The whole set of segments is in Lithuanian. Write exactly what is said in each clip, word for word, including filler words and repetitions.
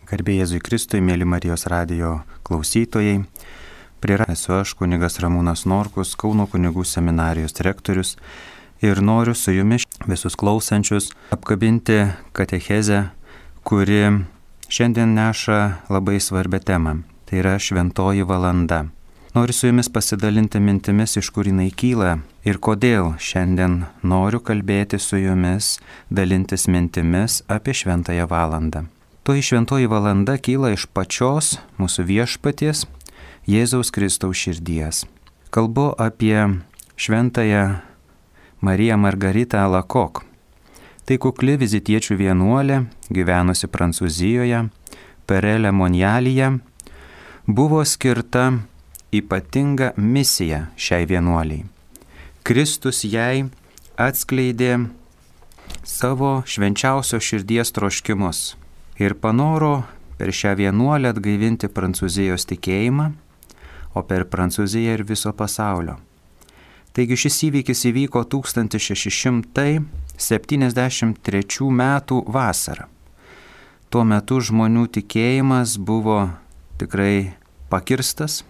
Garbė Jėzui Kristui, mėly Marijos radijo klausytojai. Prie esu aš, kunigas Ramūnas Norkus, Kauno kunigų seminarijos rektorius, ir noriu su jumis visus klausančius apkabinti katechezę, kuri šiandien neša labai svarbią temą. Tai yra šventoji valanda. Noriu su jumis pasidalinti mintimis, iš kur jinai kyla ir kodėl šiandien noriu kalbėti su jumis, dalintis mintimis apie šventąją valandą. Toji šventoji valanda kyla iš pačios mūsų viešpaties Jėzaus Kristaus širdies. Kalbu apie šventąją Mariją Margaritą Alacoque. Tai kukli vizitiečių vienuolė, gyvenusi Prancūzijoje, Perelė Monjalyje, buvo skirta ypatinga misija šiai vienuoliai. Kristus jai atskleidė savo švenčiausio širdies troškimus ir panoro per šią vienuolę atgaivinti Prancūzijos tikėjimą, o per Prancūziją ir viso pasaulio. Taigi šis įvykis įvyko tūkstantis šeši šimtai septyniasdešimt trečių metų vasarą. Tuo metu žmonių tikėjimas buvo tikrai pakirstas,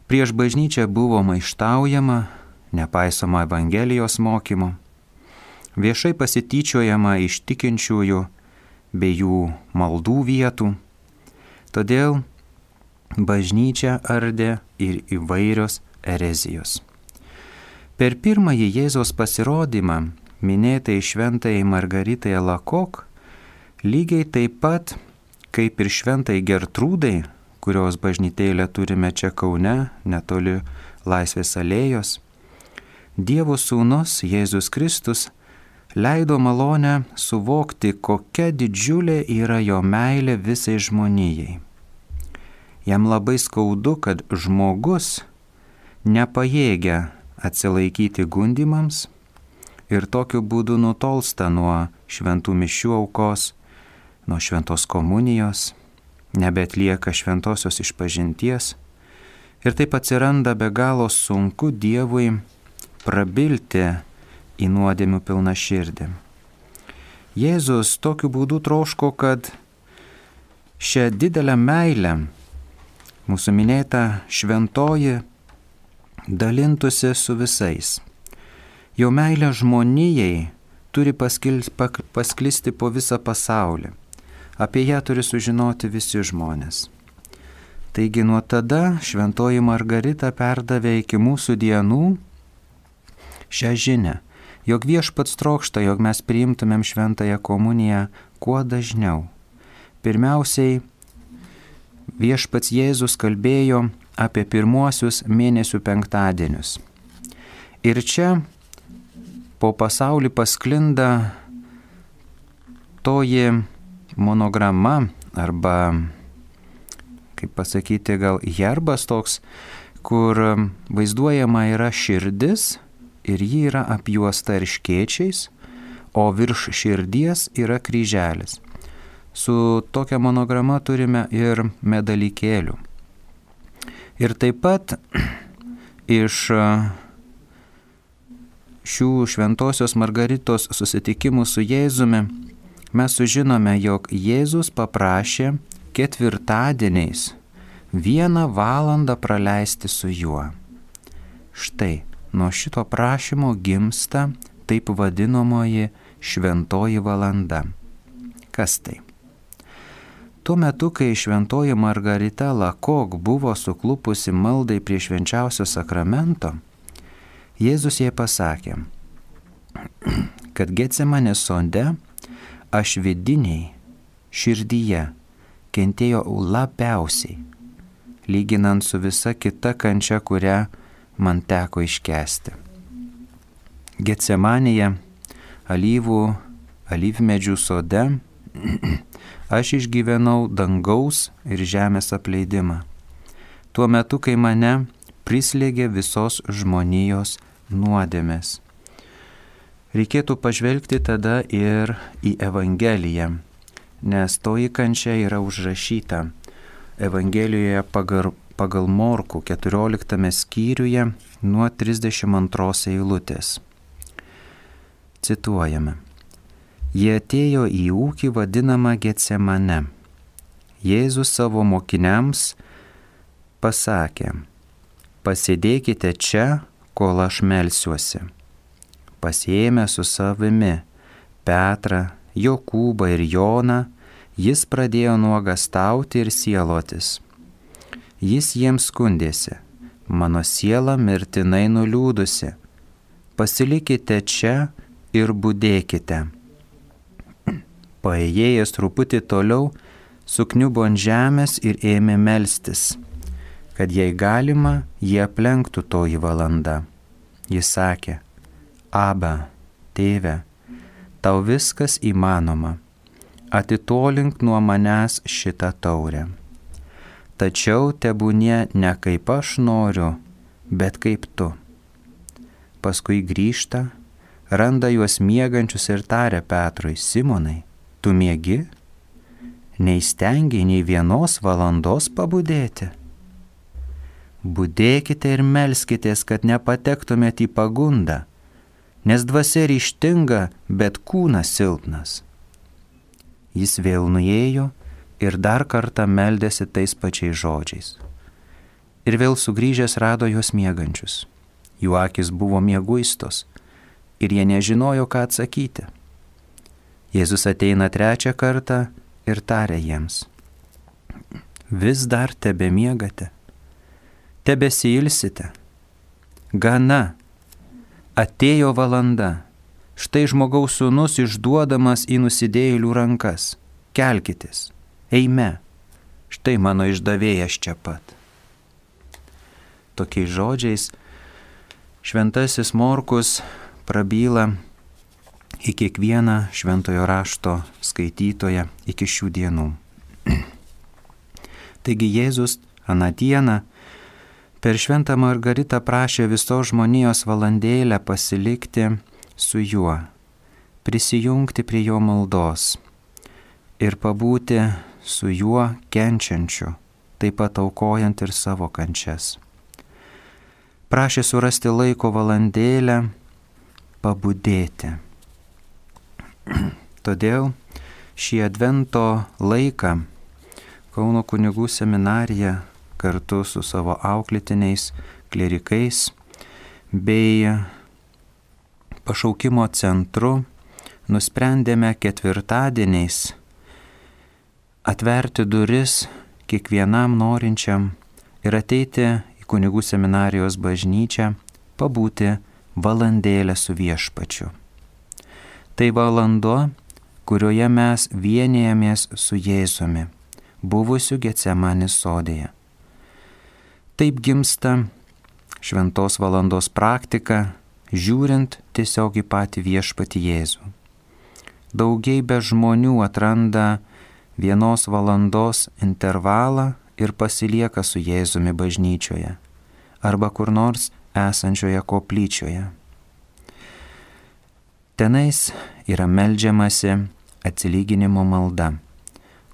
prieš bažnyčią buvo maištaujama, nepaisoma Evangelijos mokymo, viešai pasityčiojama iš tikinčiųjų bei jų maldų vietų. Todėl bažnyčią ardė ir įvairios erezijos. Per pirmąjį Jėzaus pasirodymą minėtai šventai Margaritai Alacoque, lygiai taip pat kaip ir šventai Gertrūdai, kurios bažnytėlę turime čia Kaune, netoli Laisvės alėjos, Dievo sūnus Jėzus Kristus leido malonę suvokti, kokia didžiulė yra jo meilė visai žmonijai. Jam labai skaudu, kad žmogus nepajėgia atsilaikyti gundymams ir tokiu būdu nutolsta nuo šventų mišių aukos, nuo šventos komunijos, nebeatlieka šventosios išpažinties ir taip atsiranda be galo sunku Dievui prabilti į nuodėmių pilną širdį. Jėzus tokiu būdu troško, kad šią didelę meilę mūsų minėta šventoji dalintųsi su visais. Jo meilė žmonijai turi paskil, pak, pasklisti po visą pasaulį. Apie ją turi sužinoti visi žmonės. Taigi nuo tada šventoji Margarita perdavė iki mūsų dienų šią žinią, jog viešpats trokšta, jog mes priimtumėm šventąją komuniją kuo dažniau. Pirmiausiai, viešpats Jėzus kalbėjo apie pirmuosius mėnesių penktadienius. Ir čia po pasaulį pasklinda toji monograma, arba, kaip pasakyti, gal herbas toks, kur vaizduojama yra širdis, ir ji yra apjuosta erškėčiais, o virš širdies yra kryželis. Su tokia monograma turime ir medalykėlių. Ir taip pat iš šių šventosios Margaritos susitikimų su Jėzumi mes sužinome, jog Jėzus paprašė ketvirtadieniais vieną valandą praleisti su juo. Štai, nuo šito prašymo gimsta taip vadinamoji šventoji valanda. Kas tai? Tuo metu, kai šventoji Margarita Alacoque buvo suklupusi maldai prie švenčiausio sakramento, Jėzus jai pasakė, kad Getsemanės sode aš vidiniai širdyje kentėjo labiausiai, lyginant su visa kita kančia, kurią man teko iškęsti. Getsemanėje, alyvų, alyvmedžių sode, aš išgyvenau dangaus ir žemės apleidimą. Tuo metu, kai mane prislėgė visos žmonijos nuodėmės. Reikėtų pažvelgti tada ir į Evangeliją, nes toji kančia yra užrašyta Evangelijoje pagal pagal Morkų keturioliktame skyriuje nuo trisdešimt antros eilutės. Cituojame. Jie atėjo į ūkį vadinamą Getsemane. Jėzus savo mokiniams pasakė: pasėdėkite čia, kol aš melsiuosi. Pasiėmė su savimi Petrą, Jokūbą ir Joną, jis pradėjo nuogąstauti ir sielotis. Jis jiems skundėsi: mano siela mirtinai nuliūdusi, pasilikite čia ir budėkite. Paėjėjęs truputį toliau, sukniubo ant žemės ir ėmė melstis, kad jei galima, jie aplenktų toji valanda. Jis sakė: Aba, tėve, tau viskas įmanoma, atitolink nuo manęs šitą taurę. Tačiau tebūnie ne kaip aš noriu, bet kaip tu. Paskui grįžta, randa juos miegančius ir taria Petrui: Simonai, tu miegi? Neįstengiai nei vienos valandos pabudėti? Budėkite ir melskitės, kad nepatektumėte į pagundą, nes dvasia ryžtinga, bet kūnas silpnas. Jis vėl nuėjo ir dar kartą meldėsi tais pačiais žodžiais. Ir vėl sugrįžęs rado juos miegančius. Jų akis buvo mieguistos ir jie nežinojo, ką atsakyti. Jėzus ateina trečią kartą ir taria jiems: vis dar tebemiegate, tebesiilsite. Gana, atėjo valanda, štai Žmogaus Sūnus išduodamas į nusidėjėlių rankas. Kelkitės, eime, štai mano išdavėjas čia pat. Tokiais žodžiais šventasis Morkus prabyla į kiekvieną šventojo rašto skaitytoją iki šių dienų. Taigi Jėzus aną dieną per šventą Margaritą prašė visos žmonijos valandėlę pasilikti su juo, prisijungti prie jo maldos ir pabūti su juo kenčiančiu, taip pat aukojant ir savo kančias. Prašė surasti laiko valandėlę pabudėti. Todėl šį advento laiką Kauno kunigų seminarija kartu su savo auklėtiniais klerikais bei pašaukimo centru nusprendėme ketvirtadieniais atverti duris kiekvienam norinčiam ir ateiti į kunigų seminarijos bažnyčią, pabūti valandėlę su Viešpačiu. Tai valanda, kurioje mes vienijamės su Jėzumi, buvusiu Getsemanės sodėje. Taip gimsta šventos valandos praktika, žiūrint tiesiog į patį Viešpatį Jėzų. Daugybė žmonių atranda vienos valandos intervalą ir pasilieka su Jėzumi bažnyčioje arba kur nors esančioje koplyčioje. Tenais yra meldžiamasi atsilyginimo malda,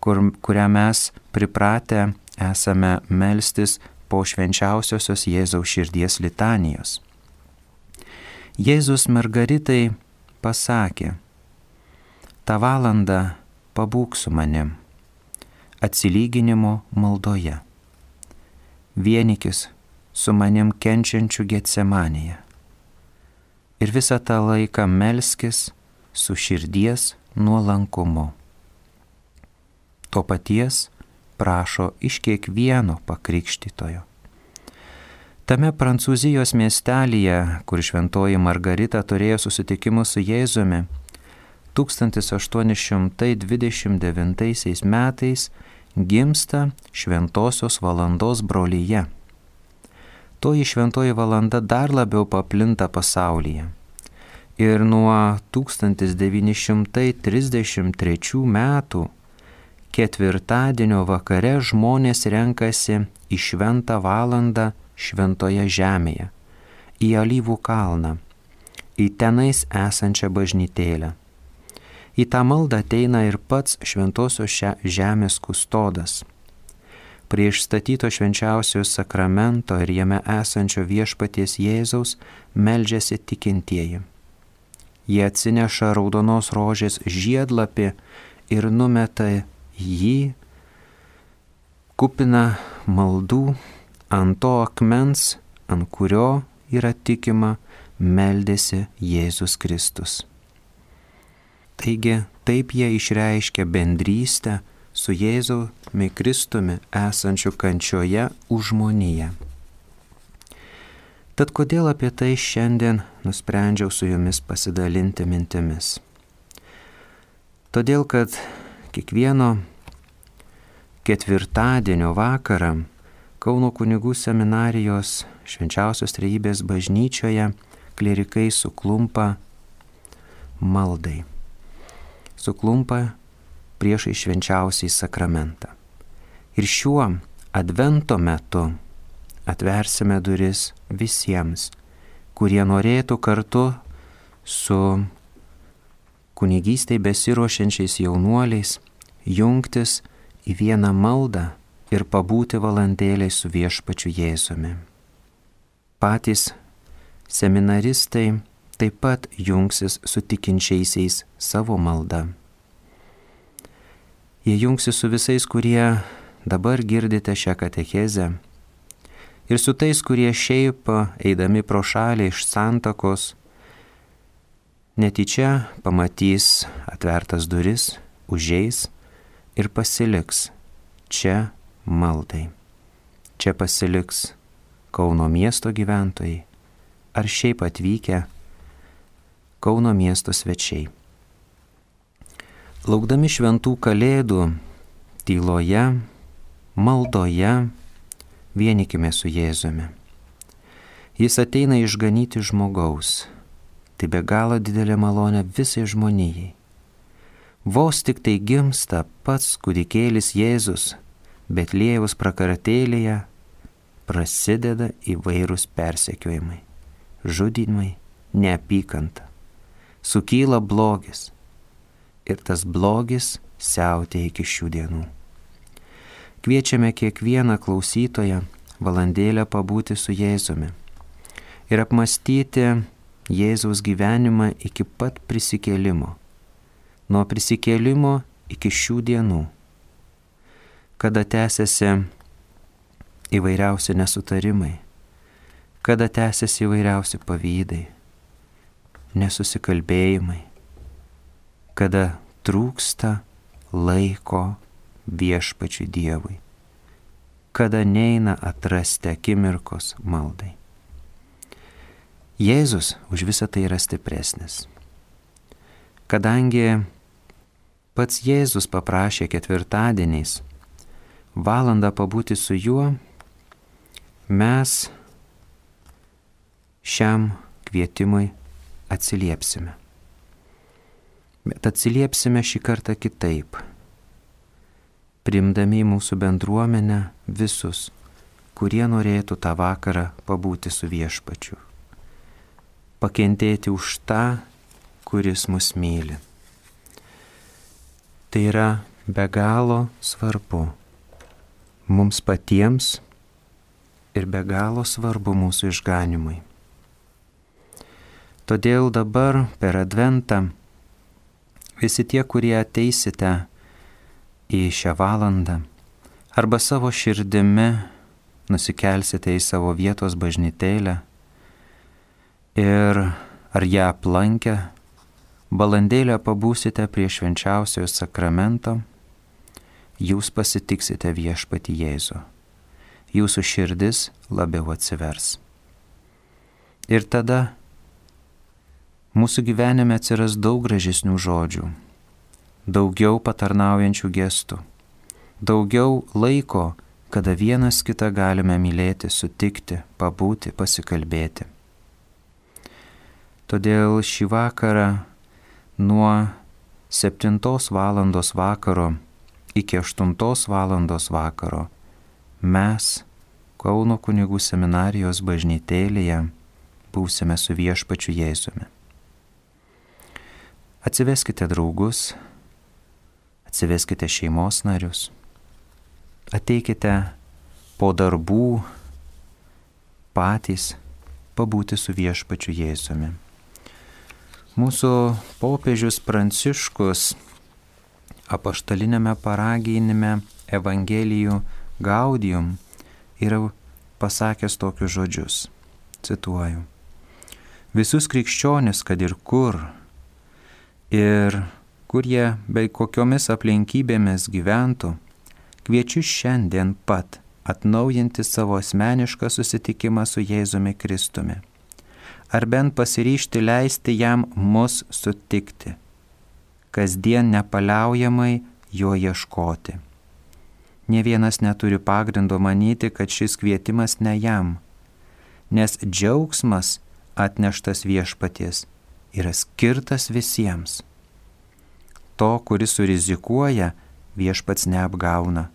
kur, kurią mes pripratę esame melstis po švenčiausiosios Jėzaus širdies litanijos. Jėzus Margaritai pasakė: tą valandą pabūk su manim, atsilyginimo maldoje. Vienykis su manim kenčiančiu Getsemanėje. Ir visą tą laiką melskis su širdies nuolankumu. To paties prašo iš kiekvieno pakrikštytojo. Tame Prancūzijos miestelyje, kur šventoji Margarita turėjo susitikimus su Jėzumi, tūkstantis aštuoni šimtai dvidešimt devintaisiais metais gimsta šventosios valandos brolija. Toji šventoji valanda dar labiau paplinta pasaulyje. Ir nuo tūkstantis devyni šimtai trisdešimt trečių metų ketvirtadienio vakare žmonės renkasi į šventą valandą šventoje žemėje, į Alyvų kalną, į tenais esančią bažnytėlę. Į tą maldą ateina ir pats šventosios žemės kustodas. Prie išstatyto švenčiausiojo sakramento ir jame esančio Viešpaties Jėzaus meldžiasi tikintieji. Jie atsineša raudonos rožės žiedlapį ir numeta jį kupina maldų ant to akmens, ant kurio yra tikima, meldėsi Jėzus Kristus. Taigi taip jie išreiškia bendrystę su Jėzumi Kristumi esančiu kančioje už žmoniją. Tad kodėl apie tai šiandien nusprendžiau su jumis pasidalinti mintimis? Todėl, kad kiekvieno ketvirtadienio vakarą Kauno kunigų seminarijos Švenčiausios Trejybės bažnyčioje klierikai suklumpa maldai. Suklumpa priešai švenčiausiai sakramentą. Ir šiuo advento metu atversime duris visiems, kurie norėtų kartu su kunigystei besiruošiančiais jaunuoliais jungtis į vieną maldą ir pabūti valandėlei su viešpačiu Jėzumi. Patys seminaristai taip pat jungsis su tikinčiaisiais savo malda. Jie jungsis su visais, kurie dabar girdite šią katechezę, ir su tais, kurie šiaip eidami pro šalį iš santakos netyčia pamatys atvertas duris, užeis ir pasiliks čia maldai. Čia pasiliks Kauno miesto gyventojai ar šiaip atvykę Kauno miesto svečiai. Laukdami šventų kalėdų, tyloje, maldoje, vienykime su Jėzumi. Jis ateina išganyti žmogaus. Tai be galo didelė malonė visai žmonijai. Vos tik tai gimsta pats kūdikėlis Jėzus, Betliejaus prakartėlėje prasideda įvairūs persekiojimai, žudymai, neapykanta. Sukyla blogis. Ir tas blogis siautėja iki šių dienų. Kviečiame kiekvieną klausytoją valandėlę pabūti su Jėzumi ir apmastyti Jėzaus gyvenimą iki pat prisikėlimo, nuo prisikėlimo iki šių dienų, kada tęsiasi įvairiausi nesutarimai, kada tęsiasi įvairiausi pavydai, nesusikalbėjimai, kada trūksta laiko viešpačiui Dievui, kada neina atrasti akimirkos maldai. Jėzus už visą tai yra stipresnis. Kadangi pats Jėzus paprašė ketvirtadieniais valandą pabūti su juo, mes šiam kvietimui atsiliepsime. Bet atsiliepsime šį kartą kitaip, priimdami į mūsų bendruomenę visus, kurie norėtų tą vakarą pabūti su viešpačiu, pakentėti už tą, kuris mus myli. Tai yra be galo svarbu mums patiems ir be galo svarbu mūsų išganimui. Todėl dabar per Adventą visi tie, kurie ateisite į šią valandą arba savo širdimi nusikelsite į savo vietos bažnytėlę ir ar ją aplankę, valandėlę pabūsite prie švenčiausiojo sakramento, jūs pasitiksite viešpatį Jėzų. Jūsų širdis labiau atsivers. Ir tada mūsų gyvenime atsiras daug gražesnių žodžių, daugiau patarnaujančių gestų, daugiau laiko, kada vienas kitą galime mylėti, sutikti, pabūti, pasikalbėti. Todėl šį vakarą nuo septintos valandos vakaro iki aštuntos valandos vakaro mes Kauno kunigų seminarijos bažnytėlėje būsime su viešpačiu Jėzumi. Atsiveskite draugus, atsiveskite šeimos narius, ateikite po darbų patys pabūti su viešpačiu Jėzumi. Mūsų popiežius Pranciškus apaštalinėme paraginime Evangelijų Gaudium yra pasakęs tokius žodžius. Cituoju. Visus krikščionis, kad ir kur, ir kur jie bei kokiomis aplinkybėmis gyventų, kviečiu šiandien pat atnaujinti savo asmenišką susitikimą su Jėzumi Kristumi. Ar bent pasiryžti leisti jam mus sutikti, kasdien nepaliaujamai jo ieškoti. Nė vienas neturi pagrindo manyti, kad šis kvietimas ne jam, nes džiaugsmas atneštas viešpaties yra skirtas visiems. To, kuris surizikuoja, viešpats neapgauna.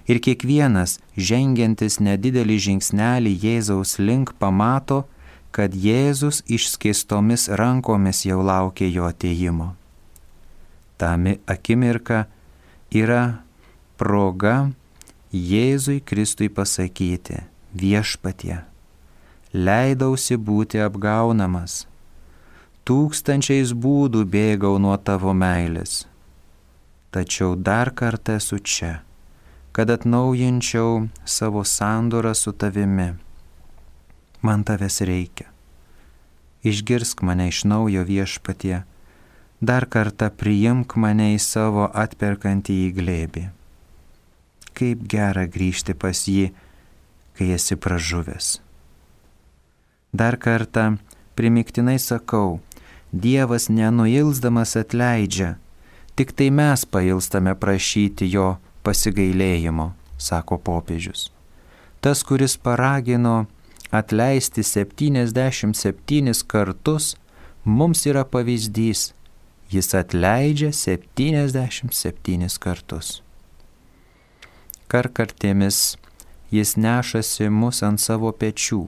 Ir kiekvienas, žengiantis nedidelį žingsnelį Jėzaus link, pamato, kad Jėzus išskėstomis rankomis jau laukia jo atėjimo. Ta akimirka yra proga Jėzui Kristui pasakyti: viešpatie, leidausi būti apgaunamas, tūkstančiais būdų bėgau nuo tavo meilės, tačiau dar kartą esu čia, kad atnaujinčiau savo sandorą su tavimi. Man tavęs reikia. Išgirsk mane iš naujo, viešpatie, dar kartą priimk mane į savo atperkantį į glėbį. Kaip gera grįžti pas jį, kai esi pražuvęs. Dar kartą primiktinai sakau, Dievas nenuilsdamas atleidžia, tik tai mes pailstame prašyti jo pasigailėjimo, sako popiežius. Tas, kuris paragino atleisti septyniasdešimt septynis kartus, mums yra pavyzdys. Jis atleidžia septyniasdešimt septynis kartus. Karkartėmis jis nešasi mus ant savo pečių.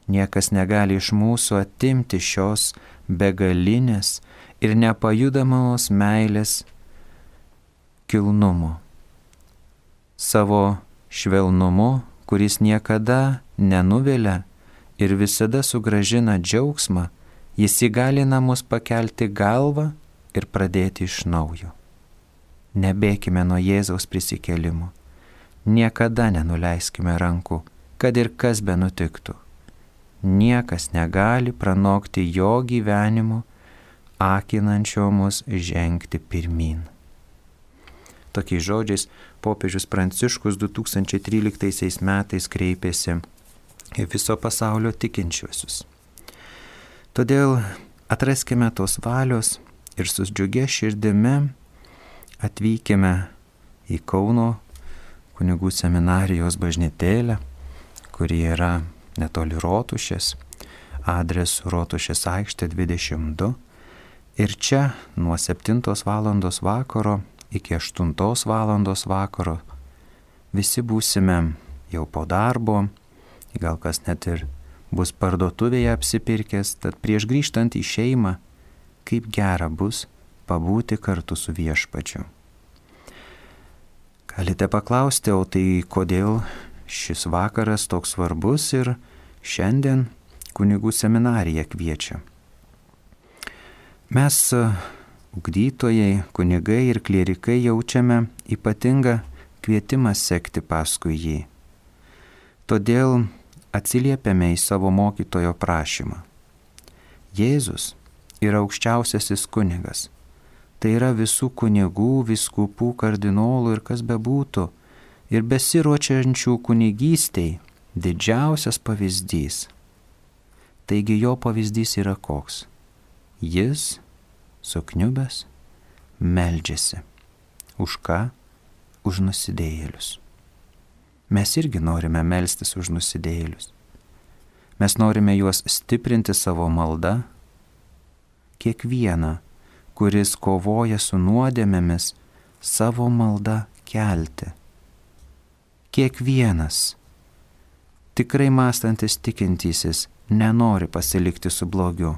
Niekas negali iš mūsų atimti šios begalinės ir nepajudamos meilės kilnumo. Savo švelnumu, kuris niekada nenuvilia ir visada sugrąžina džiaugsmą, jis įgalina mus pakelti galvą ir pradėti iš naujo. Nebėkime nuo Jėzaus prisikėlimo. Niekada nenuleiskime rankų, kad ir kas benutiktų. Niekas negali pranokti jo gyvenimo, akinančio mus žengti pirmyn. Tokiais žodžiais popiežius Pranciškus du tūkstančiai tryliktaisiais metais kreipėsi į viso pasaulio tikinčiuosius. Todėl atraskime tos valios ir su džiugia širdimi atvykime į Kauno kunigų seminarijos bažnytėlę, kuri yra netoli Rotušės, adresu Rotušės aikštė dvidešimt du. Ir čia nuo septintos valandos vakaro iki aštuntos valandos vakaro visi būsime jau po darbo, gal kas net ir bus parduotuvėje apsipirkęs, tad prieš grįžtant į šeimą, kaip gera bus pabūti kartu su viešpačiu. Galite paklausti, o tai kodėl šis vakaras toks svarbus ir šiandien kunigų seminarija kviečia. Mes, ugdytojai, kunigai ir klierikai, jaučiame ypatingą kvietimą sekti paskui jį. Todėl atsiliepiame į savo mokytojo prašymą. Jėzus yra aukščiausiasis kunigas. Tai yra visų kunigų, vyskupų, kardinolų ir kas bebūtų, ir besiruočiančių kunigystei didžiausias pavyzdys. Taigi jo pavyzdys yra koks? Jis, sukniubęs, meldžiasi. Už ką? Už nusidėjėlius. Mes irgi norime melstis už nusidėjėlius. Mes norime juos stiprinti savo malda. Kiekvieną, kuris kovoja su nuodėmėmis, savo maldą kelti. Kiekvienas, tikrai mąstantis tikintysis, nenori pasilikti su blogiu.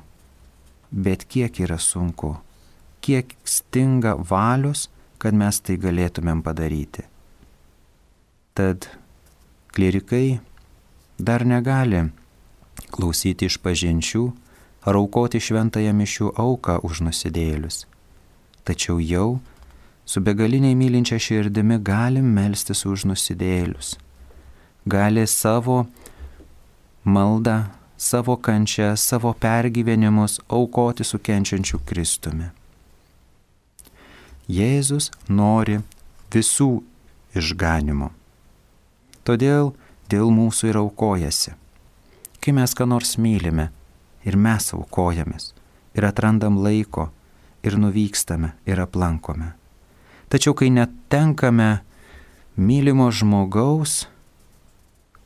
Bet kiek yra sunku, kiek stinga valios, kad mes tai galėtumėm padaryti. Tad klierikai dar negali klausyti išpažinčių ar aukoti šventąją mišių auką už nusidėjėlius. Tačiau jau su begaliniai mylinčia širdimi galim melstis už nusidėjėlius. Gali savo maldą, savo kančią, savo pergyvenimus aukoti su kenčiančiu Kristumi. Jėzus nori visų išganimo. Todėl dėl mūsų ir aukojasi. Kai mes ką nors mylime ir mes aukojamės ir atrandam laiko ir nuvykstame ir aplankome. Tačiau kai netenkame mylimo žmogaus,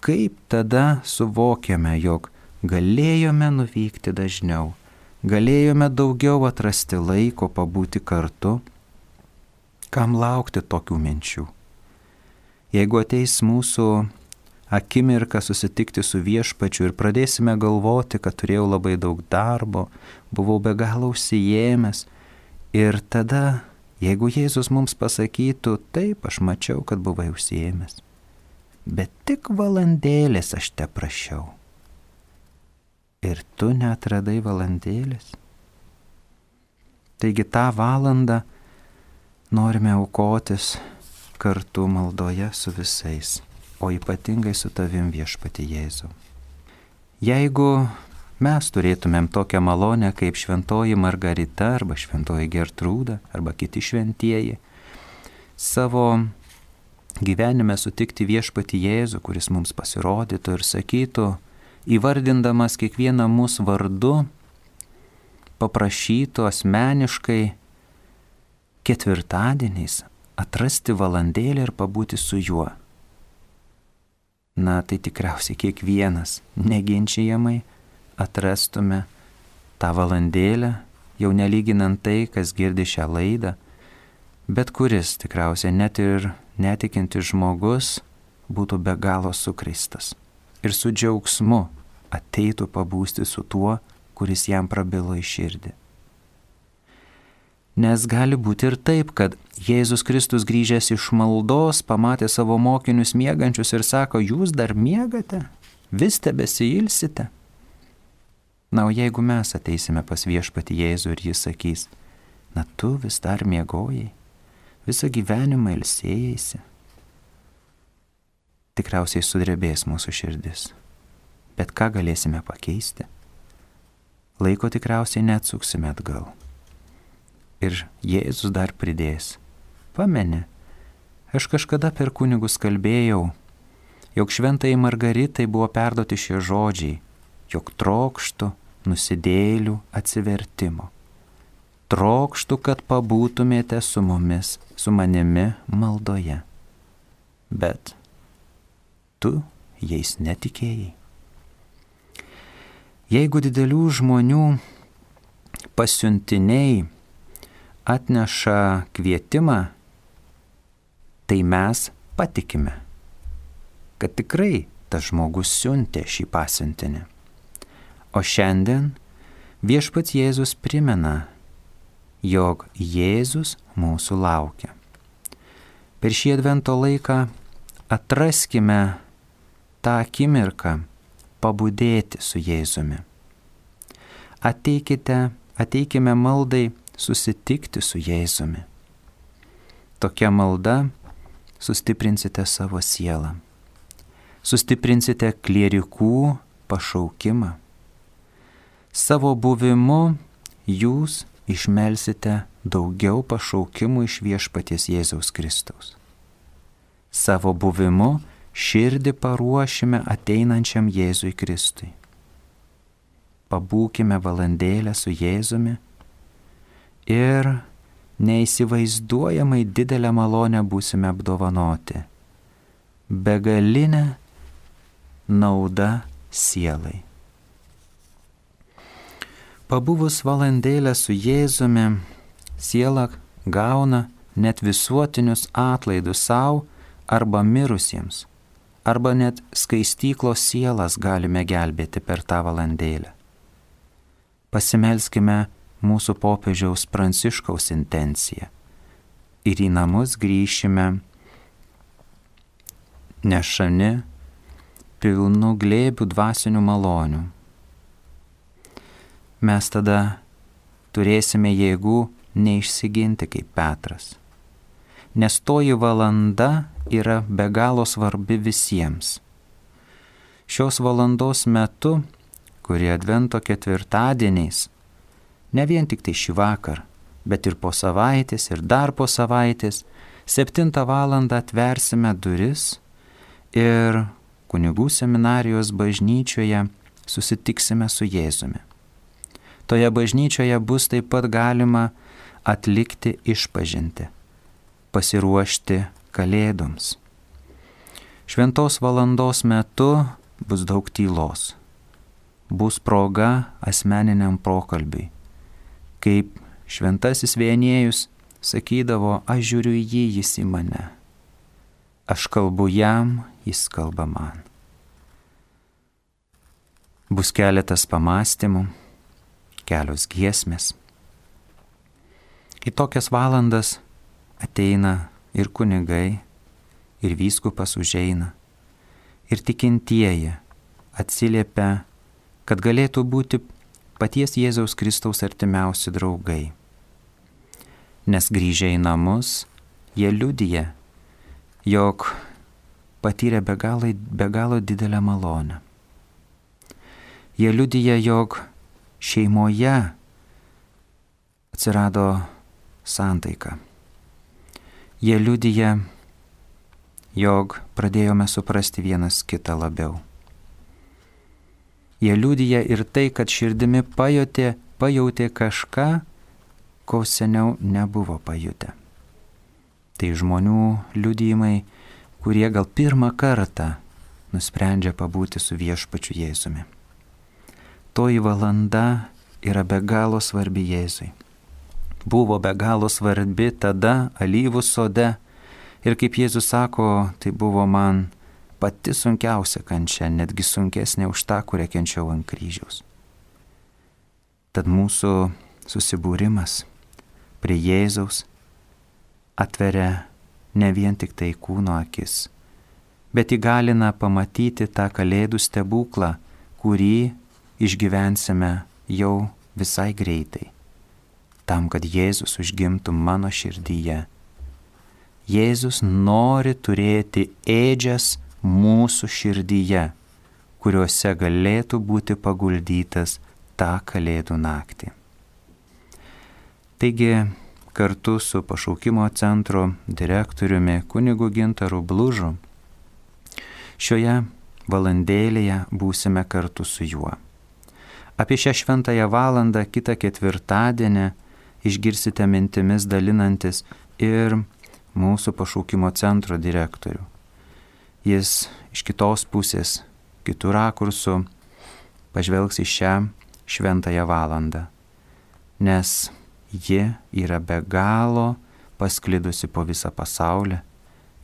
kaip tada suvokiame, jog galėjome nuvykti dažniau, galėjome daugiau atrasti laiko pabūti kartu, kam laukti tokių minčių. Jeigu ateis mūsų akimirka susitikti su Viešpačiu ir pradėsime galvoti, kad turėjau labai daug darbo, buvau be galo užsiėmęs, ir tada, jeigu Jėzus mums pasakytų, taip, aš mačiau, kad buvai užsiėmęs, bet tik valandėlės aš te prašiau. Ir tu neatradai valandėlės. Taigi tą valandą norime aukotis kartu maldoje su visais, o ypatingai su tavim, Viešpatie Jėzau. Jeigu mes turėtumėm tokią malonę kaip šventoji Margarita arba šventoji Gertrūda arba kiti šventieji, savo gyvenime sutikti Viešpatį Jėzų, kuris mums pasirodytų ir sakytų, įvardindamas kiekvieną mūsų vardu, paprašytų asmeniškai ketvirtadieniais atrasti valandėlę ir pabūti su juo. Na, tai tikriausiai kiekvienas neginčijamai atrastume tą valandėlę, jau nelyginant tai, kas girdi šią laidą, bet kuris tikriausiai net ir netikintis žmogus būtų be galo sukristas ir su džiaugsmu ateitų pabūsti su tuo, kuris jam prabilo į širdį. Nes gali būti ir taip, kad Jėzus Kristus grįžęs iš maldos pamatė savo mokinius miegančius ir sako, jūs dar miegate, vis tebesiilsite. Na, o jeigu mes ateisime pas Viešpatį Jėzų ir jis sakys, na tu vis dar miegojai, visą gyvenimą ilsėjaisi, tikriausiai sudrebės mūsų širdis. Bet ką galėsime pakeisti? Laiko tikriausiai neatsuksime atgal. Ir Jėzus dar pridės, pameni, aš kažkada per kunigus kalbėjau, jog šventai Margaritai buvo perduoti šie žodžiai, jog trokštų nusidėjėlių atsivertimo. Trokštų, kad pabūtumėte su mumis, su manimi maldoje. Bet tu jais netikėjai. Jeigu didelių žmonių pasiuntiniai atneša kvietimą, tai mes patikime, kad tikrai tas žmogus siuntė šį pasiuntinį. O šiandien Viešpats Jėzus primena, jog Jėzus mūsų laukia. Per šį advento laiką atraskime tą akimirką pabudėti su Jėzumi. Ateikite, ateikime maldai susitikti su Jėzumi. Tokia malda sustiprinsite savo sielą. Sustiprinsite klierikų pašaukimą. Savo buvimu jūs išmelsite daugiau pašaukimų iš Viešpaties Jėzaus Kristaus. Savo buvimu širdį paruošime ateinančiam Jėzui Kristui. Pabūkime valandėlę su Jėzumi ir neįsivaizduojamai didelę malonę būsime apdovanoti. Begalinę naudą sielai. Pabuvus valandėlę su Jėzumi, siela gauna net visuotinius atlaidus savo arba mirusiems, arba net skaistyklos sielas galime gelbėti per tą valandėlę. Pasimelskime mūsų popiežiaus Pranciškaus intenciją ir į namus grįšime nešani pilnų glėbių dvasinių malonių. Mes tada turėsime jėgų neišsiginti kaip Petras, nes toji valanda yra be galo svarbi visiems. Šios valandos metu, kurie Advento ketvirtadieniais, ne vien tik tai šį vakar, bet ir po savaitės ir dar po savaitės, septintą valandą atversime duris ir kunigų seminarijos bažnyčioje susitiksime su Jėzumi. Toje bažnyčioje bus taip pat galima atlikti išpažintį, pasiruošti Kalėdoms. Šventos valandos metu bus daug tylos. Bus proga asmeniniam pokalbiui. Kaip šventasis Vienėjus sakydavo, aš žiūriu į jį, jis į mane. Aš kalbu jam, jis kalba man. Bus keletas pamastymų, kelios giesmės. Į tokias valandas ateina ir kunigai, ir vyskupas užeina, ir tikintieji atsiliepia, kad galėtų būti paties Jėzaus Kristaus artimiausi draugai. Nes grįžę į namus, jie liudija, jog patyrė be galo, be galo didelę malonę. Jie liudija, jog šeimoje atsirado santaika. Jie liudija, jog pradėjome suprasti vienas kitą labiau. Jie liudija ir tai, kad širdimi pajutė, pajutė kažką, ko seniau nebuvo pajutę. Tai žmonių liudijimai, kurie gal pirmą kartą nusprendžia pabūti su viešpačiu Jėzumi. Toji valanda yra be galo svarbi Jėzui. Buvo be galo svarbi tada alyvų sode ir kaip Jėzus sako, tai buvo man pati sunkiausia kančia, netgi sunkesnė už tą, kurią kenčiau ant kryžiaus. Tad mūsų susibūrimas prie Jėzaus atveria ne vien tik tai kūno akis, bet įgalina pamatyti tą Kalėdų stebuklą, kurį išgyvensime jau visai greitai, tam, kad Jėzus užgimtų mano širdyje. Jėzus nori turėti ėdžias mūsų širdyje, kuriuose galėtų būti paguldytas tą Kalėdų naktį. Taigi, kartu su pašaukimo centro direktoriumi kunigu Gintaru Blužu, šioje valandėlėje būsime kartu su juo. Apie šią šventąją valandą kitą ketvirtadienį išgirsite mintimis dalinantis ir mūsų pašaukimo centro direktorių. Jis iš kitos pusės, kitų rakursų pažvelgs į šią šventąją valandą, nes ji yra be galo pasklidusi po visą pasaulį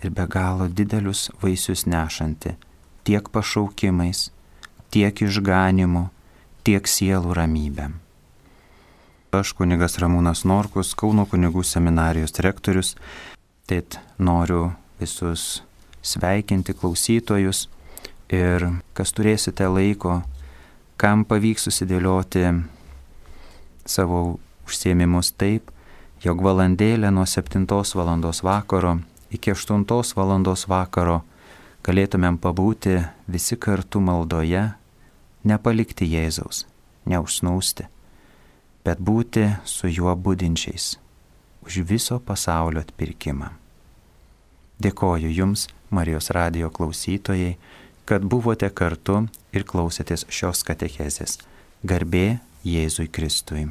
ir be galo didelius vaisius nešanti tiek pašaukimais, tiek išganimu, tiek sielų ramybėm. Aš kunigas Ramūnas Norkus, Kauno kunigų seminarijos rektorius, tad noriu visus sveikinti klausytojus ir kas turėsite laiko, kam pavyks susidėlioti savo užsiėmimus taip, jog valandėlę nuo septintos valandos vakaro iki aštuntos valandos vakaro galėtumėm pabūti visi kartu maldoje, nepalikti Jėzaus, neužsnūsti, bet būti su juo budinčiais už viso pasaulio atpirkimą. Dėkoju Jums, Marijos radijo klausytojai, kad buvote kartu ir klausėtės šios katechezės. Garbė Jėzui Kristui.